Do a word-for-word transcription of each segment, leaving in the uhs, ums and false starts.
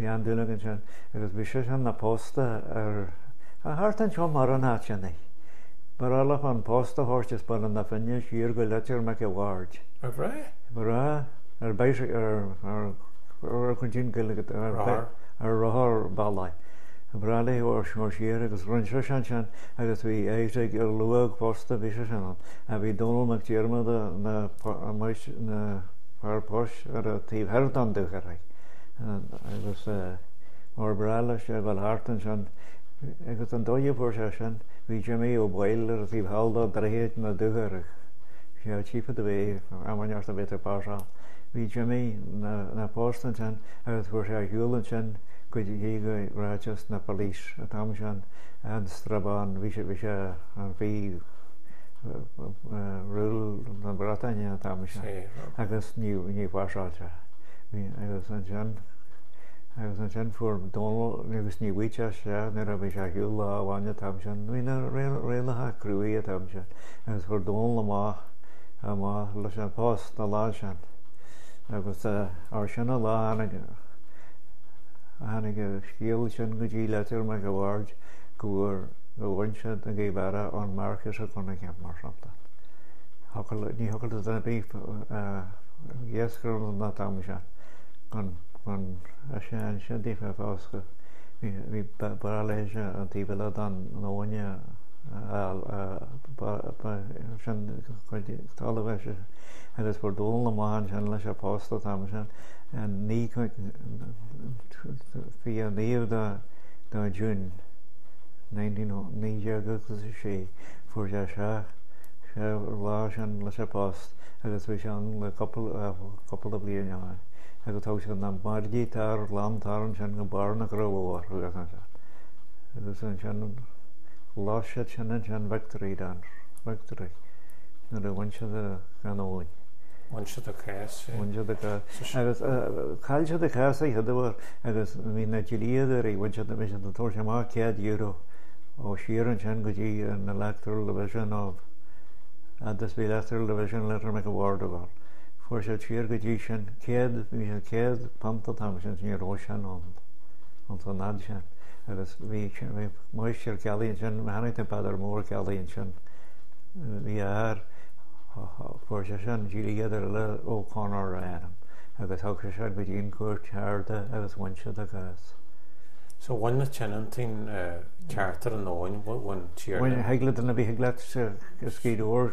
Bhí an-dúil aige ansin agus bhí seisean 'na pósta ar thart anseo mar an áit sin é. Ba ghnách leofa an post a thabhairt as Baile na Finne siar go Leitir Mhic a' Bhaird. Ar bhreá? Ba ghnách ar bicycle ar ar ar ar ar rothar bealaigh. Ba bhreá léi ó siar agus rinne seisean ansin agus bhí Isaac Luath fosta, bhí seisean ann. A bhí Dónall Mac Diarmada na na fear poist ar an taobh thoir den Dúchoraidh agus mar ba bhreá leis a dhul thart ansin agus an dóigh a fuair sé sin, bhí Jimmy Ó Baoill ar an taobh thall de Dhroichead na Dúchoradh. Sé Chief of the Bay, am a bheith ag pasáil. Bhí Jimmy na post ansin agus fuair sé a shiúl ansin go dtí go ráiteas na police an t-am sin an Strabane, bhí sé bhí sé an bhí rule na Breataine an t-am sin agus ní ní phasáil sé. Bhí agus ansin agus ansin fuair Dónall agus ní bhfuigh sé nuair a bhí sé shiúl lá amháin an t-am sin, bhí na rialacha cruaidh an t-am sin agus fuair Dónall amach amach leis an post an lá sin agus ar sin an lá tháinig tháinig an scéal sin go dtí Leitir Mhic a' Bhaird go bhfuair go bhain siad an Gaoth Beara ón Marcus Ó Cunningham mar shampla. Ní thiocfadh le duine ar bith iascaireacht an t-am sin gan gan sin sin daofa fós bhí bhí ba bhreá léi an taobh eile den abhainn sin cuid talamh é agus fuair Dónall amach ansin leis an post an t-am sin an naoi fiche naoi de de June naoi déag agus a sé fuair sé sé sé lá sin leis an post agus bhí sé ann le cúpla cúpla bliain ann agus thug sé na margaí tar lán tar ansin go barr na gCrobhar agus ansin agus ansin lá siad sin ansin victory dance victory nuair a bhain siad an abhainn. Bhain siad a cás. Bhain siad a cás. Agus chaill siad a cás ag chéad agus bhí na dlíodóirí bhain siad bhí siad ag tabhairt amach céad euro ó siar ansin go dtí an Electoral Division of agus bhí Electoral Division Leitir Mhic a' Bhaird ag dul. Fuair siad siar go dtí sin céad bhí siad céad punt an t-am sin ní raibh sin ann an san fhad sin agus bhí bhí máistir Kelly ansin tháinig an Peadar Mór Kelly ansin bhí air fuair sé sin dlíodóir eile O'Connor a ainm agus thug sé sin go dtí an cúirt arda agus bhain siad a gcás. So bhain na tionóntaí ceart ar an abhainn bhain tír. Bhain thig le duine bhí thig leat scídóir.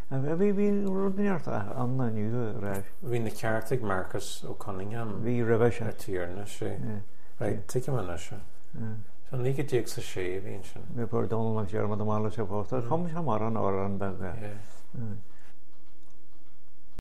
Bhí bhí rud neart an inniu reis. Bhí na ceart ag Marcus Ó Cunningham Bhí roimhe sin. a tiarna sé. Right, tuigim anois. So naoi déag sa sé a bhí sin. Bhí fuair Dónall Mac Diarmada amach leis an post. Chum sé mar an amhrán beag.